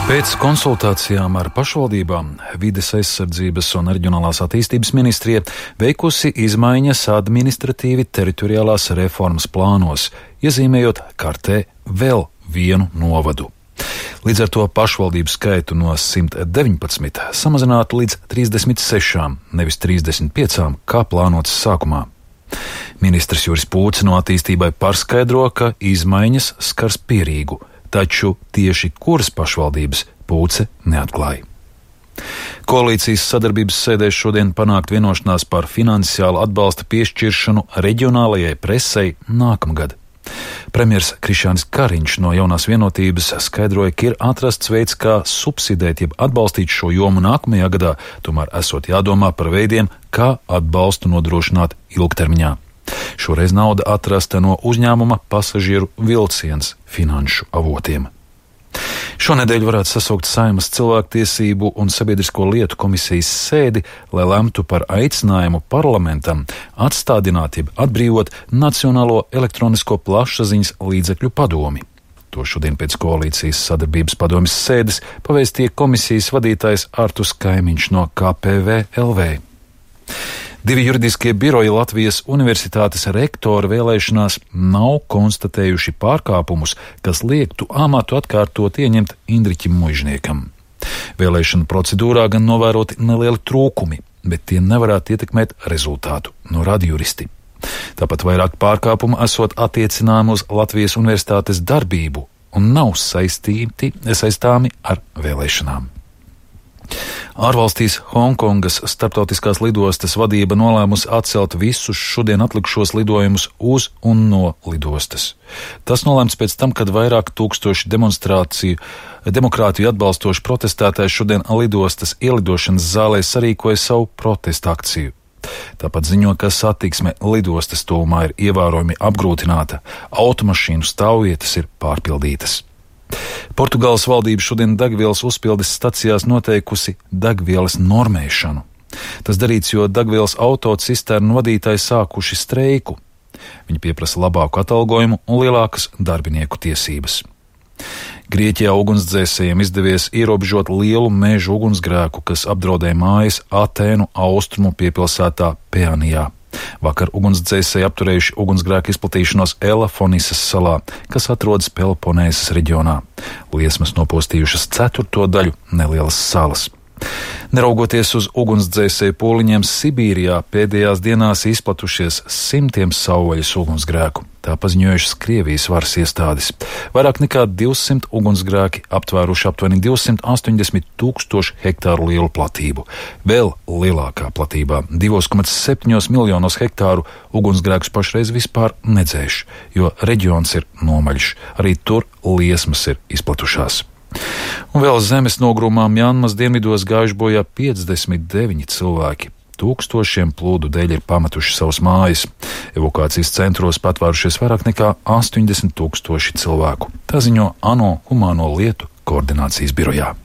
Pēc konsultācijām ar pašvaldībām Vides aizsardzības un reģionālās attīstības ministrija veikusi izmaiņas administratīvi teritoriālās reformas plānos, iezīmējot kartē vēl vienu novadu. Līdz ar to pašvaldību skaitu no 119 samazinātu līdz 36, nevis 35, kā plānots sākumā. Ministrs Juris Pūce no attīstībai paskaidro, ka izmaiņas skars Pierīgu, taču tieši kuras pašvaldības Pūce neatklāja. Koalīcijas sadarbības sēdēs šodien panākt vienošanās par finansiālu atbalsta piešķiršanu reģionālajai presei nākamgad. Premjers Krišjānis Kariņš no Jaunās vienotības skaidroja, ka ir atrasts veids, kā subsidēt jeb atbalstīt šo jomu nākamajā gadā, tomēr esot jādomā par veidiem, kā atbalstu nodrošināt ilgtermiņā. Šoreiz nauda atrasta no uzņēmuma Pasažieru vilciens finanšu avotiem. Šonedēļ varētu sasaukt Saeimas cilvēktiesību un sabiedrisko lietu komisijas sēdi, lai lemtu par aicinājumu parlamentam atstādināt jeb atbrīvot Nacionālo elektronisko plašsaziņas līdzekļu padomi. To šodien pēc koalīcijas sadarbības padomes sēdes pavēstīja komisijas vadītājs Arturs Kaimiņš no KPV LV. Divi juridiskie biroji Latvijas Universitātes rektora vēlēšanās nav konstatējuši pārkāpumus, kas liektu amatu atkārtot ieņemt Indriķim Muižniekam. Vēlēšanu procedūrā gan novēroti nelieli trūkumi, bet tie nevarētu ietekmēt rezultātu, norāda juristi. Tāpat vairāk pārkāpumu esot attiecināmi uz Latvijas Universitātes darbību un nav saistāmi ar vēlēšanām. Ārvalstīs Hongkongas starptautiskās lidostas vadība nolēmusi atcelt visus šodien atlikušos lidojumus uz un no lidostas. Tas nolēmts pēc tam, kad vairāk tūkstoši demokrātiju atbalstoši protestētāji šodien lidostas ielidošanas zālē sarīkoja savu protesta akciju. Tāpat ziņo, ka satiksme lidostas tuvumā ir ievērojami apgrūtināta, automašīnu stāvvietas ir pārpildītas. Portugāles valdība šodien degvielas uzpildes stacijās noteikusi degvielas normēšanu. Tas darīts, jo degvielas autocisternu vadītāji sākuši streiku. Viņi pieprasa labāku atalgojumu un lielākas darbinieku tiesības. Grieķijā ugunsdzēsējiem izdevies ierobežot lielu meža ugunsgrēku, kas apdraudēja mājas Atēnu austrumu piepilsētā Peanijā. Vakar ugunsdzēsēji apturējuši ugunsgrēku izplatīšanos Elafonisas salā, kas atrodas Peloponēsas reģionā. Liesmas nopostījušas 1/4 daļu nelielas salas. Neraugoties uz ugunsdzēsēju pūliņiem Sibīrijā, pēdējās dienās izplatušies simtiem savvaļas ugunsgrēku. Tā paziņojušas Krievijas varas iestādes. Vairāk nekā 200 ugunsgrēki aptvēruši aptuveni 280 000 hektāru lielu platību. Vēl lielākā platībā, 2,7 miljonos hektāru, ugunsgrēkus pašreiz vispār nedzēš, jo reģions ir nomaļš. Arī tur liesmas ir izplatušās. Un vēl zemes nogrūmā Mjanmas dienvidos gājuši bojā 59 cilvēki. Tūkstošiem plūdu dēļ ir pametuši savas mājas. Evakuācijas centros patvērušies vairāk nekā 80 000 cilvēku. Tā ziņo ANO Humāno lietu koordinācijas birojā.